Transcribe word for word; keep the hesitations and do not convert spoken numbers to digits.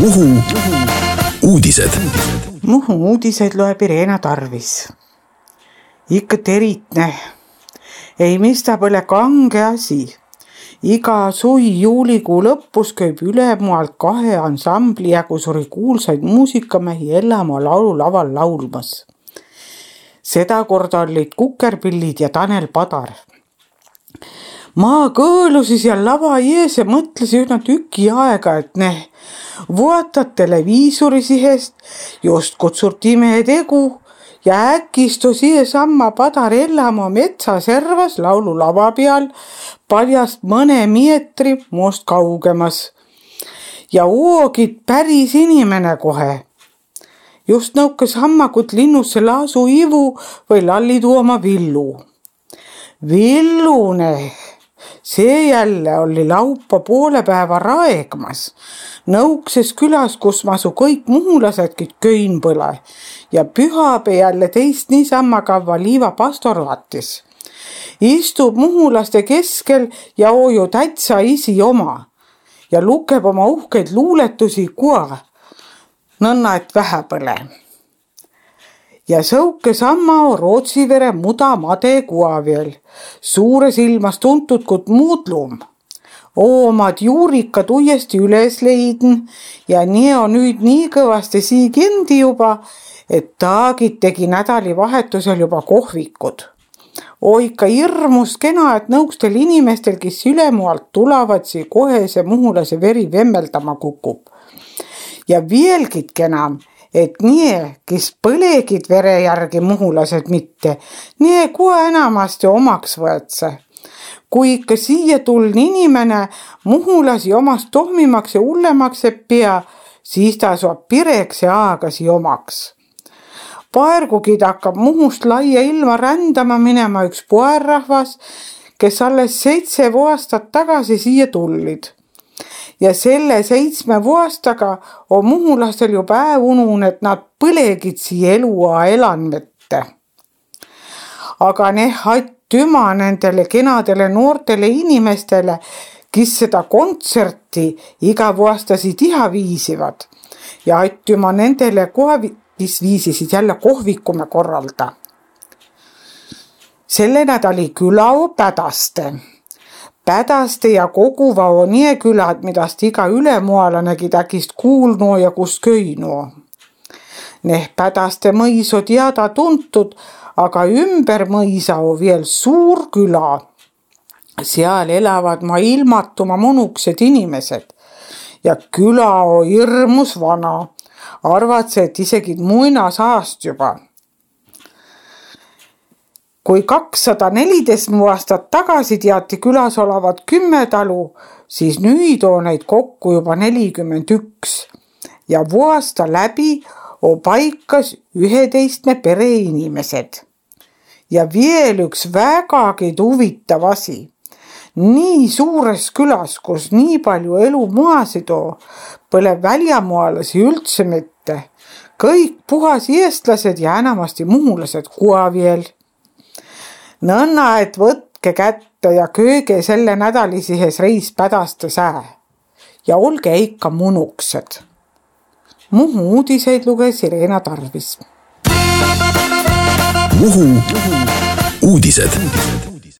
Muhu uudised. Muhu uudised loeb Irena Tarvis. Ikka teritne. Ei mista pole kange asi. Iga sui juulikuu lõppus kööb ülemualt kahe ansambli jagu suri kuulsaid muusikamehi Ellamaa laululaval laulmas. Seda korda olid Kukerpillid ja Tanel Padar. Ma kõõlusis ja lava ees ja mõtlesin üsna tüki aega, et ne vuotad televiisori sihest, just kutsutime tegu ja äkistu siia samma Padar Ellamaa metsaservas laululava peal paljast mõne meetri muust kaugemas. Ja oogid päris inimene kohe. Just nõukas hammakut linnusse laasu ivu või lalli tuoma Villu. Villune, see jälle oli laupa poole päeva raegmas. Nõukses külas, kus masu kõik muhulasedki köin põle ja pühapäe jälle teist niisamma kavva liiva pastor vaatis. Istub muhulaste keskel ja ooju täitsa isi oma ja lukeb oma uhkeid luuletusi kua. Nõnna, et vähe põle. Ja sõuke samma Rootsivere muda made kua veel. Suures ilmas tuntud kut muudlum. Oomad juurikad uuesti üles leidn ja nii on nüüd nii kõvasti sii kindi juba, et taagid tegi nädalivahetusel juba kohvikud. Oika hirmus kena, et nõukstel inimestel, kes ülemualt tulevad, sii kohe see muhulase veri vemmeldama kukub. Ja vielgid kenam, et nii, kes põlegid vere järgi muhulased mitte, nii kua enamasti omaks võetse. Kui ikka siia tuln inimene muhulasi omast tohmimaks ja ullemaks ei pea, siis ta saab pireks ja aagasi omaks. Paergukid hakkab Muhust laia ilma rändama minema üks poerrahvas, kes alles seitse aastat tagasi siia tullid. Ja selle seitsme aastaga on muhulastel ju päev unun, et nad põlegid siia elua elanmette. Aga ne hattüma nendele kenadele noortele inimestele, kes seda kontserti iga aastasi tiha viisivad. Ja hattüma nendele kohe, kes viisisid jälle kohvikume korralda. Selle nädali küla on Pädaste. Pädaste ja Koguva on nie külad, midast iga ülemualanegi täkist kuulnu ja kus köinu. Neh Pädaste mõis on teada tuntud, aga ümber mõisa on veel suur küla. Seal elavad ma ilmatuma monuksed inimesed ja küla on hirmus vana. Arvatse, et isegi muinasaast juba. Kui kakssada neliteist aastat tagasi teati külas olevat kümme talu, siis nüüd on neid kokku juba nelikümmend üks. Ja vuosta läbi on paikas üheteistne pere inimesed. Ja veel üks vägagi huvitav asi. Nii suures külas, kus nii palju elu muasid on, pole väljamaalasi üldse mitte. Kõik puhas eestlased ja enamasti muhulased kua veel. Nõnna, et võtke kätte ja kööge selle nädalisihes reis Pädaste sää. Ja olge ikka munuksed. Muhu uudiseid luges Irena Tarvis. Muhu uudised.